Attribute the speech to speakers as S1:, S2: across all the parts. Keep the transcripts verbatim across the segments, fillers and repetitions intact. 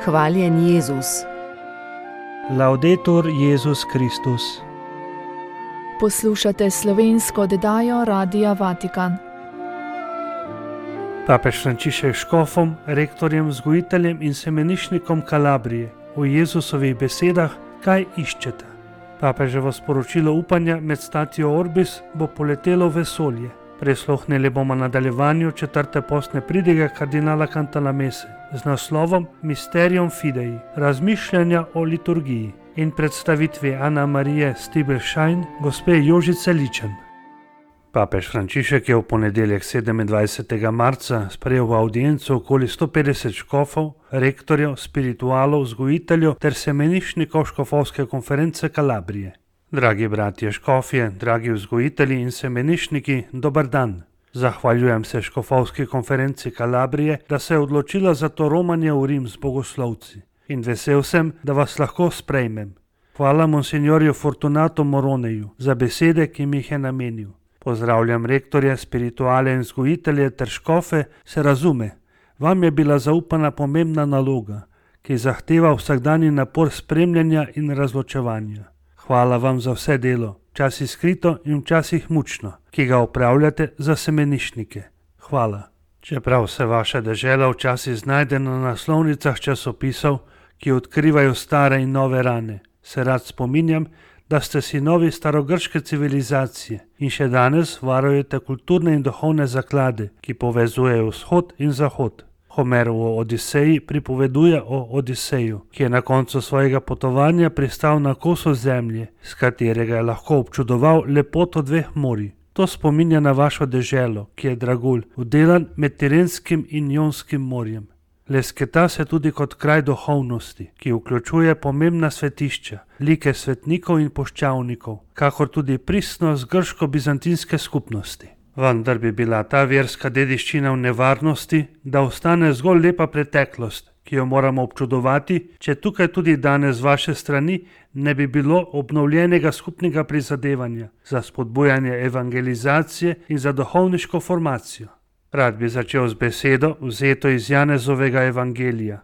S1: Hvaljen Jezus.
S2: Laudetur Jezus Kristus.
S3: Poslušate slovensko oddajo Radia Vatikan.
S2: Papež Frančišek škofom, rektorjem, vzgojiteljem in semenišnikom Kalabrije v Jezusovih besedah, kaj iščete. Papeževo sporočilo upanja med statijo Orbis bo poletelo v vesolje. Prisluhnili bomo nadaljevanju četrte postne pridige kardinala Cantalamesse z naslovom Mysterium Fidei, razmišljanja o liturgiji in predstavitvi Ana Marije Stibelšajn, gospe Jožice Ličen. Papež Frančišek je v ponedeljek sedemindvajsetega marca sprejel v avdienco okoli sto petdeset škofov, rektorjev, spiritualov, vzgojiteljev ter semenišnikov škofovske konference Kalabrije. Dragi bratje škofje, dragi vzgojitelji in semenišniki, dober dan. Zahvaljujem se škofovski konferenci Kalabrije, da se je odločila za to romanje v Rim z bogoslovci. In vesel sem, da vas lahko sprejmem. Hvala monsignorju Fortunato Moroneju za besede, ki mi jih je namenil. Pozdravljam rektorje, spirituale in vzgojitelje ter škofe, se razume. Vam je bila zaupana pomembna naloga, ki zahteva vsakdanji napor spremljanja in razločevanja. Hvala vam za vse delo, včasih skrito in včasih mučno, ki ga opravljate za semenišnike. Hvala. Čeprav se vaša dežela včasih znajde na naslovnicah časopisov, ki odkrivajo stare in nove rane, se rad spominjam, da ste sinovi starogrške civilizacije in še danes varujete kulturne in duhovne zaklade, ki povezujejo vzhod in zahod. Homer v Odiseji pripoveduje o Odiseju, ki je na koncu svojega potovanja pristal na kosu zemlje, s katerega je lahko občudoval lepoto dveh morij. To spominja na vašo deželo, ki je dragulj, vdelan med Tirenskim in Jonskim morjem. Lesketa se tudi kot kraj duhovnosti, ki vključuje pomembna svetišča, like svetnikov in poščavnikov, kakor tudi pristnost grško-bizantinske skupnosti. Vendar bi bila ta verska dediščina v nevarnosti, da ostane zgolj lepa preteklost, ki jo moramo občudovati, če tukaj tudi danes z vaše strani ne bi bilo obnovljenega skupnega prizadevanja za spodbujanje evangelizacije in za duhovniško formacijo. Rad bi začel z besedo, vzeto iz Janezovega evangelija.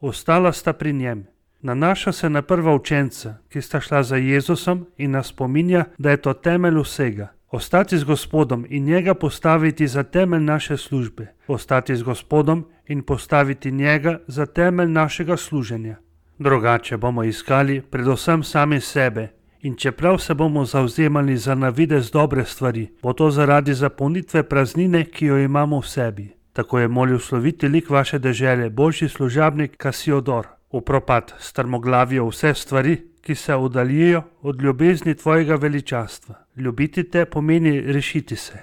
S2: Ostala sta pri njem. Nanaša se na prva učenca, ki sta šla za Jezusom in nas spominja, da je to temelj vsega. Ostati z Gospodom in njega postaviti za temelj naše službe. Ostati z Gospodom in postaviti njega za temelj našega služenja. Drugače bomo iskali predvsem sami sebe in čeprav se bomo zavzemali za navidez dobre stvari, bo to zaradi zapolnitve praznine, ki jo imamo v sebi. Tako je molil sloviti lik vaše dežele, božji služabnik Kasiodor. V propad strmoglavijo vse stvari, ki se oddaljijo od ljubezni tvojega veličastva. Ljubiti te pomeni rešiti se.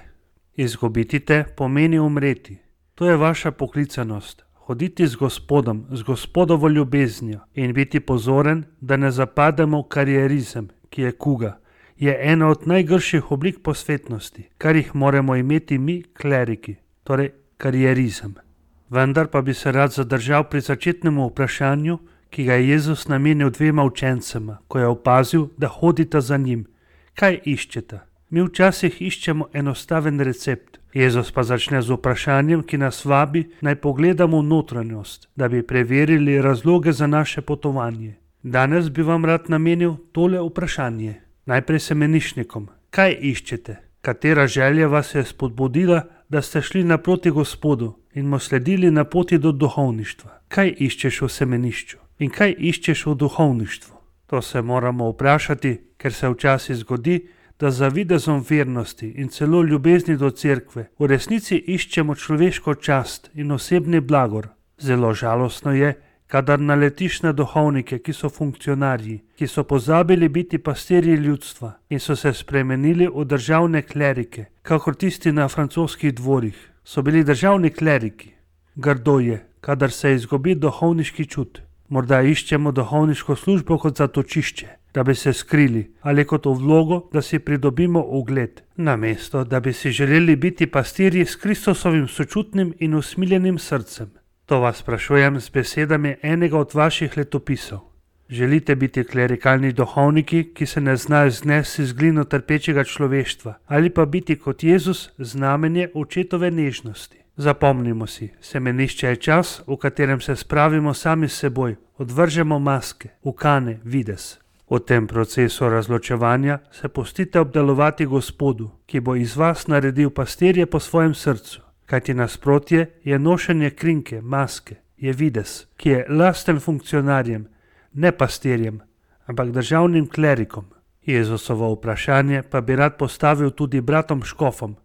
S2: Izgubiti te pomeni umreti. To je vaša poklicanost. Hoditi z Gospodom, z Gospodovo ljubeznijo in biti pozoren, da ne zapademo v karierizem, ki je kuga. Je ena od najgrših oblik posvetnosti, kar jih moramo imeti mi, kleriki, torej karierizem. Vendar pa bi se rad zadržal pri začetnemu vprašanju, ki ga je Jezus namenil dvema učencema, ko je opazil, da hodita za njim. Kaj iščete? Mi včasih iščemo enostaven recept. Jezus pa začne z vprašanjem, ki nas vabi, naj pogledamo v notranjost, da bi preverili razloge za naše potovanje. Danes bi vam rad namenil tole vprašanje. Najprej semenišnikom. Kaj iščete? Katera želja vas je spodbudila, da ste šli naproti Gospodu in mu sledili na poti do duhovništva? Kaj iščeš v semenišču? In kaj iščeš v duhovništvu? To se moramo vprašati, ker se včasih zgodi, da za videzom vernosti in celo ljubezni do cerkve v resnici iščemo človeško čast in osebni blagor. Zelo žalostno je, kadar naletiš na duhovnike, ki so funkcionarji, ki so pozabili biti pastirji ljudstva in so se spremenili v državne klerike, kakor tisti na francoskih dvorih. So bili državni kleriki. Grdo je, kadar se izgubi duhovniški čut. Morda iščemo duhovniško službo kot zatočišče, da bi se skrili, ali kot v vlogo, da si pridobimo ugled, namesto da bi si želeli biti pastirji s Kristusovim sočutnim in usmiljenim srcem. To vas sprašujem z besedami enega od vaših letopisov. Želite biti klerikalni duhovniki, ki se ne znajo znesti z glino trpečega človeštva, ali pa biti kot Jezus znamenje očetove nežnosti. Zapomnimo si, semenišče je čas, v katerem se spravimo sami s seboj, odvržemo maske, ukane, vides. V tem procesu razločevanja se pustite obdelovati Gospodu, ki bo iz vas naredil pastirje po svojem srcu, kajti nasprotje je nošenje krinke, maske, je vides, ki je lasten funkcionarjem, ne pastirjem, ampak državnim klerikom. Jezusovo vprašanje pa bi rad postavil tudi bratom škofom.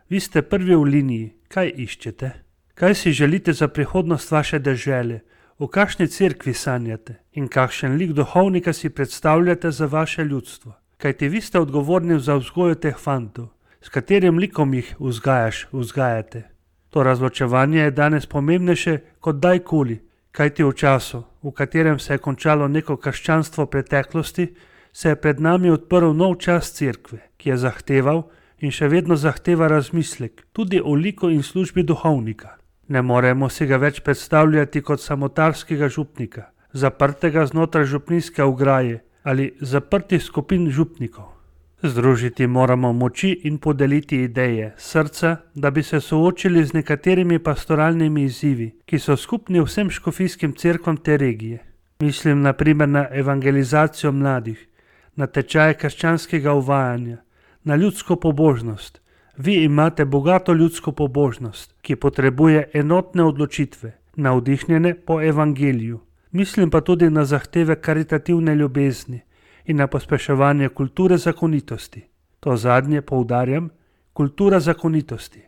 S2: Vi ste prvi v liniji, kaj iščete? Kaj si želite za prihodnost vaše dežele? V kakšni cerkvi sanjate? In kakšen lik duhovnika si predstavljate za vaše ljudstvo? Kajti vi ste odgovorni za vzgojo teh fantov. S katerim likom jih vzgajaš, vzgajate? To razločevanje je danes pomembnejše kot dajkoli, kajti v času, v katerem se je končalo neko krščanstvo preteklosti, se je pred nami odprl nov čas cerkve, ki je zahteval in še vedno zahteva razmislek, tudi o liku in službi duhovnika. Ne moremo si ga več predstavljati kot samotarskega župnika, zaprtega znotraj župnijske ograje ali zaprtih skupin župnikov. Združiti moramo moči in podeliti ideje, srca, da bi se soočili z nekaterimi pastoralnimi izzivi, ki so skupni vsem škofijskim cerkvam te regije. Mislim na primer na evangelizacijo mladih, na tečaje krščanskega uvajanja, na ljudsko pobožnost. Vi imate bogato ljudsko pobožnost, ki potrebuje enotne odločitve, navdihnjene po evangeliju. Mislim pa tudi na zahteve karitativne ljubezni in na pospeševanje kulture zakonitosti. To zadnje poudarjam, kultura zakonitosti.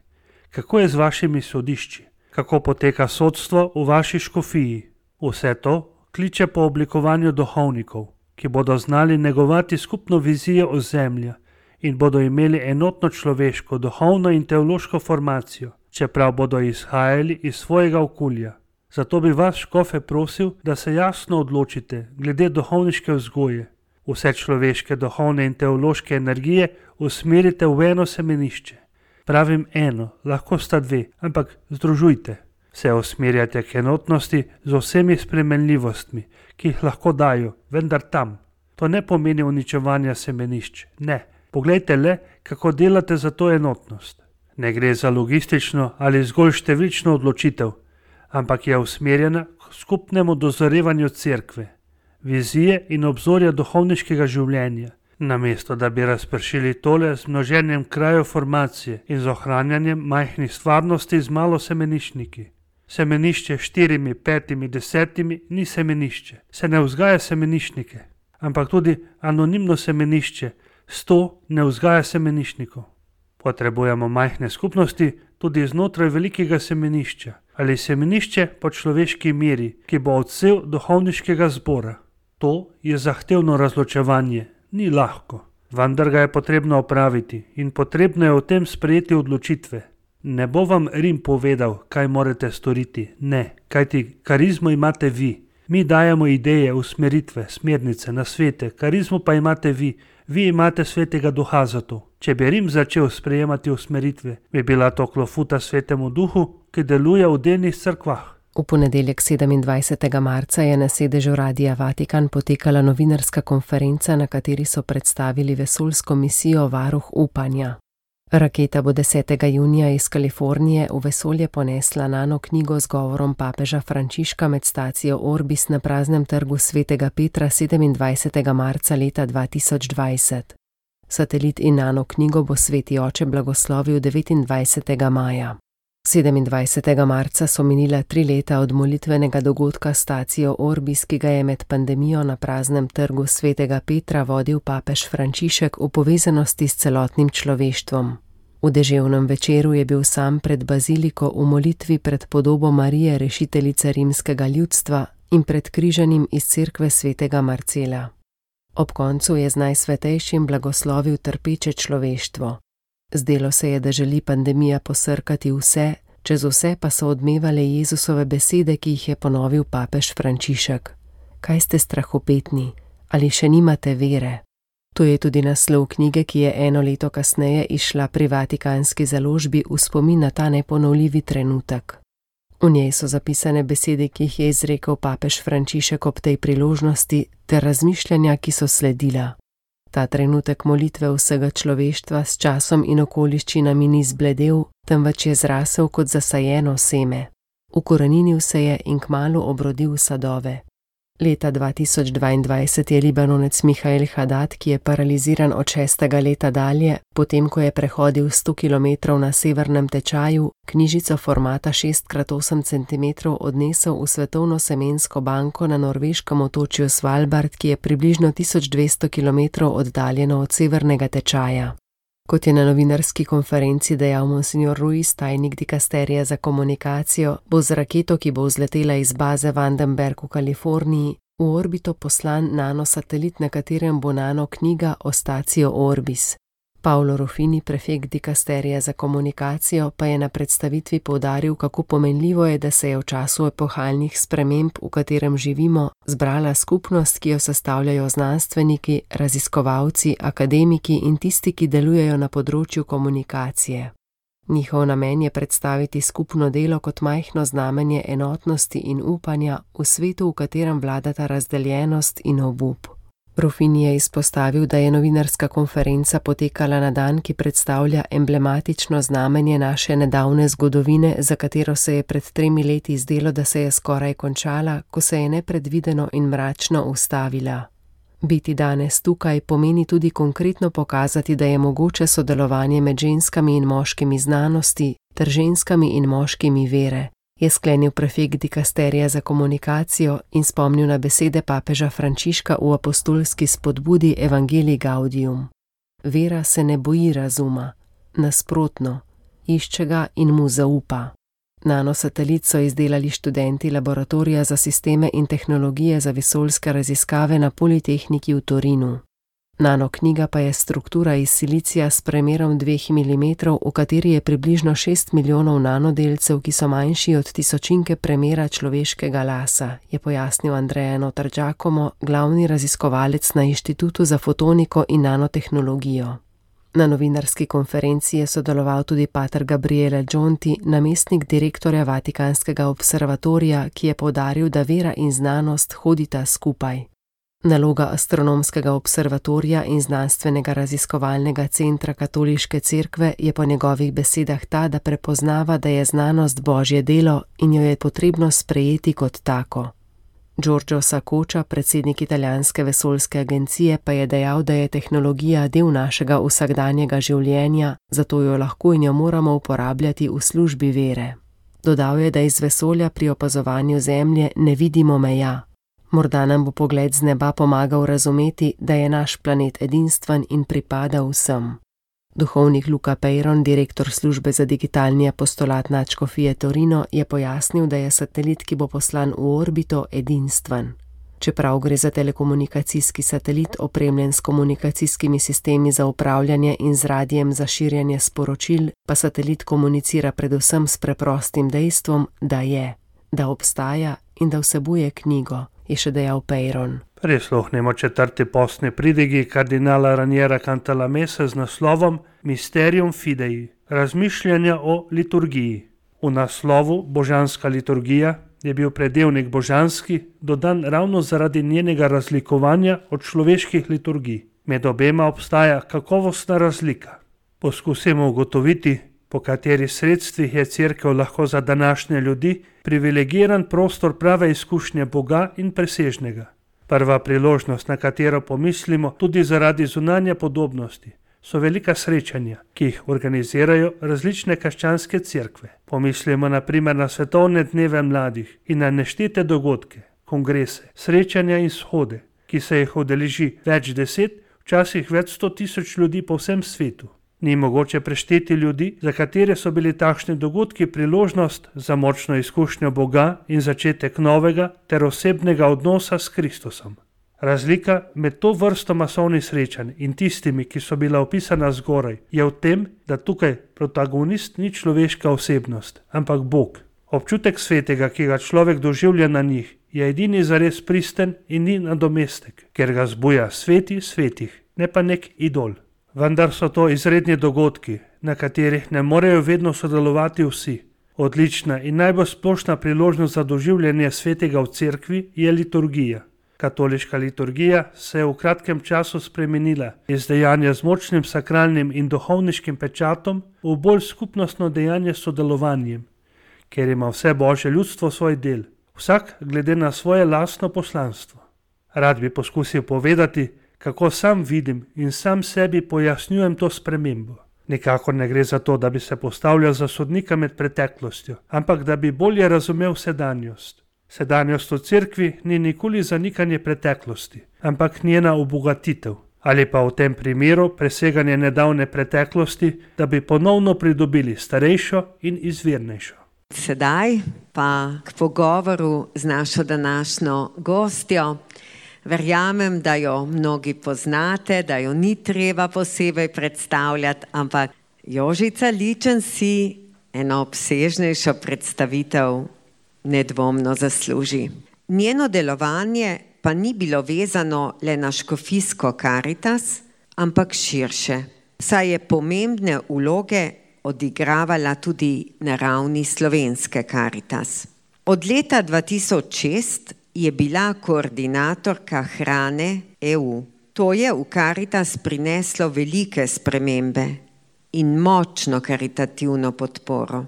S2: Kako je z vašimi sodišči? Kako poteka sodstvo v vaši škofiji? Vse to kliče po oblikovanju duhovnikov, ki bodo znali negovati skupno vizijo ozemlja in bodo imeli enotno človeško, duhovno in teološko formacijo, čeprav bodo izhajali iz svojega okolja. Zato bi vas, škofe, prosil, da se jasno odločite glede duhovniške vzgoje. Vse človeške, duhovne in teološke energije usmerite v eno semenišče. Pravim eno, lahko sta dve, ampak združujte. Se usmerjate k enotnosti z vsemi spremenljivostmi, ki jih lahko dajo, vendar tam. To ne pomeni uničevanja semenišč, ne. Poglejte le, kako delate za to enotnost. Ne gre za logistično ali zgolj številčno odločitev, ampak je usmerjena k skupnemu dozorevanju cerkve, vizije in obzorja duhovniškega življenja, namesto da bi razpršili tole z množenjem krajev formacije in z ohranjanjem majhnih stvarnosti z malo semeniščniki. Semenišče s štirimi, petimi, desetimi ni semenišče, se ne vzgaja semeniščnike, ampak tudi anonimno semenišče, sto ne vzgaja semeniščnikov. Potrebujemo majhne skupnosti tudi znotraj velikega semenišča ali semenišče po človeški meri, ki bo odsev duhovniškega zbora. To je zahtevno razločevanje, ni lahko, vendar ga je potrebno opraviti in potrebno je o tem sprejeti odločitve. Ne bo vam Rim povedal, kaj morate storiti, ne, kajti karizmo imate vi. Mi dajemo ideje, usmeritve, smernice, nasvete, karizmo pa imate vi. Vi imate svetega duha za to. Če bi Rim začel sprejemati usmeritve, bi bila to klofuta svetemu duhu, ki deluje v delnih cerkvah.
S1: V ponedeljek sedemindvajsetega marca je na sedežu Radia Vatikan potekala novinarska konferenca, na kateri so predstavili vesoljsko misijo Varuh upanja. Raketa bo desetega junija iz Kalifornije v vesolje ponesla nano knjigo z govorom papeža Frančiška med stacijo Orbis na praznem trgu svetega Petra sedemindvajsetega marca leta dva tisoč dvajset. Satelit in nano knjigo bo sveti oče blagoslovil devetindvajsetega maja. sedemindvajsetega marca so minila tri leta od molitvenega dogodka stacijo Orbis, ki ga je med pandemijo na praznem trgu svetega Petra vodil papež Frančišek v povezanosti s celotnim človeštvom. V deževnem večeru je bil sam pred baziliko v molitvi pred podobo Marije, rešiteljice rimskega ljudstva, in pred križanjem iz cerkve svetega Marcela. Ob koncu je z najsvetejšim blagoslovil trpeče človeštvo. Zdelo se je, da želi pandemija posrkati vse, čez vse pa so odmevale Jezusove besede, ki jih je ponovil papež Frančišek. Kaj ste strahopetni? Ali še nimate vere? To je tudi naslov knjige, ki je eno leto kasneje izšla pri vatikanski založbi v spomin na ta neponovljivi trenutek. V njej so zapisane besede, ki jih je izrekel papež Frančišek ob tej priložnosti, ter razmišljanja, ki so sledila. Ta trenutek molitve vsega človeštva s časom in okoliščinami ni zbledel, temveč je zrasel kot zasajeno seme. Ukoreninil se je in kmalu obrodil sadove. Leta dva tisoč dvaindvajset je Libanonec Mihael Haddad, ki je paraliziran od šestega leta dalje, potem ko je prehodil sto kilometrov na severnem tečaju, knjižico formata šest krat osem centimetrov odnesel v svetovno semensko banko na norveškem otočju Svalbard, ki je približno tisoč dvesto kilometrov oddaljeno od severnega tečaja. Kot je na novinarski konferenci dejal monsignor Ruiz, tajnik dikasterija za komunikacijo, bo z raketo, ki bo vzletela iz baze Vandenberg v Kaliforniji, v orbito poslan nanosatelit, na katerem bo nano knjiga Ostatio Orbis. Paolo Ruffini, prefekt dikasterija za komunikacijo, pa je na predstavitvi poudaril, kako pomenljivo je, da se je v času epohalnih sprememb, v katerem živimo, zbrala skupnost, ki jo sestavljajo znanstveniki, raziskovalci, akademiki in tisti, ki delujejo na področju komunikacije. Njihov namen je predstaviti skupno delo kot majhno znamenje enotnosti in upanja v svetu, v katerem vladata razdeljenost in obup. Ruffini je izpostavil, da je novinarska konferenca potekala na dan, ki predstavlja emblematično znamenje naše nedavne zgodovine, za katero se je pred tremi leti zdelo, da se je skoraj končala, ko se je nepredvideno in mračno ustavila. Biti danes tukaj pomeni tudi konkretno pokazati, da je mogoče sodelovanje med ženskami in moškimi znanosti ter ženskami in moškimi vere, je sklenil prefekt dikasterija za komunikacijo in spomnil na besede papeža Frančiška v apostolski spodbudi Evangelii Gaudium. Vera se ne boji razuma, nasprotno, išče ga in mu zaupa. Nanosatelit so izdelali študenti laboratorija za sisteme in tehnologije za vesoljske raziskave na Politehniki v Torinu. Nanoknjiga pa je struktura iz silicija s premerom dveh milimetrov, v kateri je približno šest milijonov nanodelcev, ki so manjši od tisočinke premera človeškega lasa, je pojasnil Andrea Notar Giacomo, glavni raziskovalec na Inštitutu za fotoniko in nanotehnologijo. Na novinarski konferenci je sodeloval tudi pater Gabriele Gionti, namestnik direktorja Vatikanskega observatorija, ki je poudaril, da vera in znanost hodita skupaj. Naloga astronomskega observatorija in znanstvenega raziskovalnega centra Katoliške cerkve je po njegovih besedah ta, da prepoznava, da je znanost Božje delo in jo je potrebno sprejeti kot tako. Giorgio Saccocia, predsednik italijanske vesoljske agencije, pa je dejal, da je tehnologija del našega vsakdanjega življenja, zato jo lahko in jo moramo uporabljati v službi vere. Dodal je, da iz vesolja pri opazovanju Zemlje ne vidimo meja. Morda nam bo pogled z neba pomagal razumeti, da je naš planet edinstven in pripada vsem. Duhovnik Luca Peyron, direktor službe za digitalni apostolat nadškofije Torino, je pojasnil, da je satelit, ki bo poslan v orbito, edinstven. Čeprav gre za telekomunikacijski satelit, opremljen s komunikacijskimi sistemi za upravljanje in z radijem za širjanje sporočil, pa satelit komunicira predvsem s preprostim dejstvom, da je, da obstaja in da vsebuje knjigo, je še dejal Peyron.
S2: Prisluhnimo četrti postni pridigi kardinala Raniera Cantalamesse z naslovom Mysterium Fidei, razmišljanja o liturgiji. V naslovu Božanska liturgija je bil predelnik božanski dodan ravno zaradi njenega razlikovanja od človeških liturgij. Med obema obstaja kakovostna razlika. Poskusimo ugotoviti, po katerih sredstvih je cerkev lahko za današnje ljudi privilegiran prostor prave izkušnje Boga in presežnega. Prva priložnost, na katero pomislimo tudi zaradi zunanje podobnosti, so velika srečanja, ki jih organizirajo različne krščanske cerkve. Pomislimo na primer na svetovne dneve mladih in na neštete dogodke, kongrese, srečanja in shode, ki se jih udeleži več deset, včasih več sto tisoč ljudi po vsem svetu. Ni mogoče prešteti ljudi, za katere so bili takšni dogodki priložnost za močno izkušnjo Boga in začetek novega ter osebnega odnosa s Kristusom. Razlika med to vrsto masovnih srečanj in tistimi, ki so bila opisana zgoraj, je v tem, da tukaj protagonist ni človeška osebnost, ampak Bog. Občutek svetega, ki ga človek doživlja na njih, je edini zares pristen in ni nadomestek, ker ga zbuja sveti svetih, ne pa nek idol. Vendar so to izredni dogodki, na katerih ne morejo vedno sodelovati vsi. Odlična in najbolj splošna priložnost za doživljanje svetega v cerkvi je liturgija. Katoliška liturgija se je v kratkem času spremenila iz dejanja z močnim sakralnim in duhovniškim pečatom v bolj skupnostno dejanje s sodelovanjem, ker ima vse Božje ljudstvo svoj del, vsak glede na svoje lastno poslanstvo. Rad bi poskusil povedati, kako sam vidim in sam sebi pojasnjujem to spremembo. Nikakor ne gre za to, da bi se postavljal za sodnika med preteklostjo, ampak da bi bolje razumel sedanjost. Sedanjost v cerkvi ni nikoli zanikanje preteklosti, ampak njena obogatitev, ali pa v tem primeru preseganje nedavne preteklosti, da bi ponovno pridobili starejšo in izvirnejšo.
S4: Sedaj pa k pogovoru z našo današnjo gostjo. Verjamem, da jo mnogi poznate, da jo ni treba posebej predstavljati, ampak Jožica Ličen si eno obsežnejšo predstavitev nedvomno zasluži. Njeno delovanje pa ni bilo vezano le na škofijsko Karitas, ampak širše, saj je pomembne vloge odigravala tudi na ravni slovenske Karitas. Od leta dva tisoč šest je bila koordinatorka hrane E U. To je v Karitas prineslo velike spremembe in močno karitativno podporo.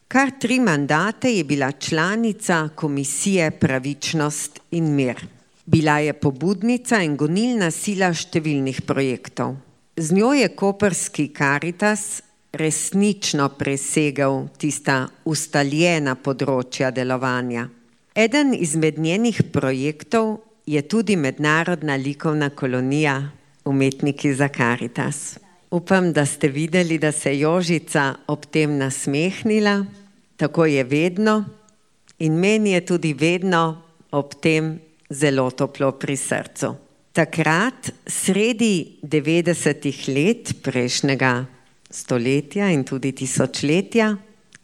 S4: Kar tri mandate je bila članica Komisije Pravičnost in mir. Bila je pobudnica in gonilna sila številnih projektov. Z njo je koprski Karitas resnično presegel tista ustaljena področja delovanja. Eden izmed njenih projektov je tudi mednarodna likovna kolonija Umetniki za Karitas. Upam, da ste videli, da se je Jožica ob tem nasmehnila, tako je vedno in meni je tudi vedno ob tem zelo toplo pri srcu. Takrat, sredi devetdesetih let prejšnjega stoletja in tudi tisočletja,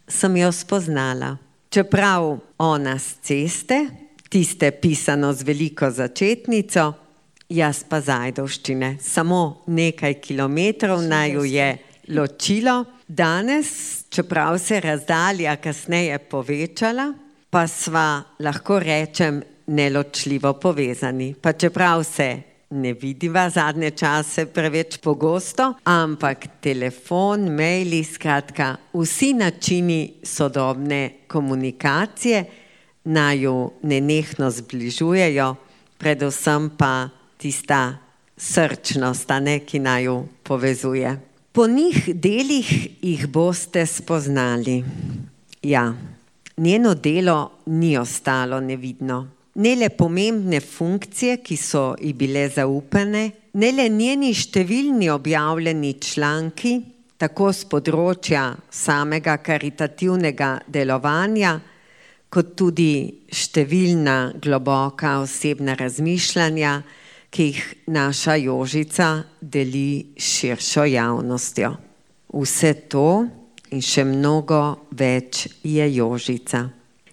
S4: sem jo spoznala. Čeprav ona s ceste, tiste pisano z veliko začetnico, jaz pa z Ajdovščine. Samo nekaj kilometrov naju je ločilo. Danes, čeprav se je razdalja kasneje povečala, pa sva, lahko rečem, neločljivo povezani. Pa čeprav se ne vidiva zadnje čase preveč pogosto, ampak telefon, maili, skratka, vsi načini sodobne komunikacije naju nenehno zbližujejo, predvsem pa tista srčnost, ne, ki naju povezuje. Po njih delih jih boste spoznali. Ja, njeno delo ni ostalo nevidno. Ne le pomembne funkcije, ki so ji bile zaupane, ne le njeni številni objavljeni članki, tako z področja samega karitativnega delovanja, kot tudi številna globoka osebna razmišljanja, ki jih naša Jožica deli s širšo javnostjo. Vse to in še mnogo več je Jožica.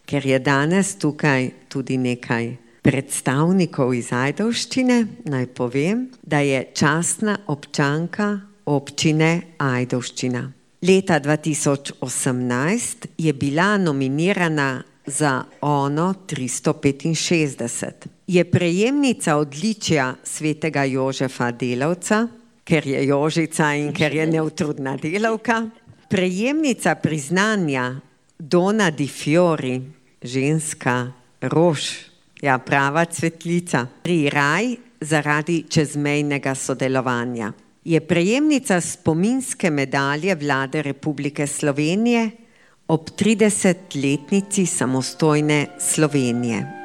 S4: Ker je danes tukaj tudi nekaj predstavnikov iz Ajdovščine, naj povem, da je častna občanka občine Ajdovščina. Leta dva tisoč osemnajst je bila nominirana za Ono tristo petinšestdeset. Je prejemnica odličja svetega Jožefa Delavca, ker je Jožica in ker je neutrudna delavka. Prejemnica priznanja Dona di Fiori, ženska rož, ja, prava cvetlica, pri Raj zaradi čezmejnega sodelovanja. Je prejemnica spominske medalje Vlade Republike Slovenije ob tridesetletnici samostojne Slovenije.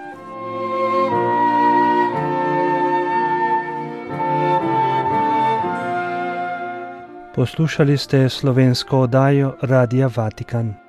S2: Poslušali ste slovensko oddajo Radia Vatikan.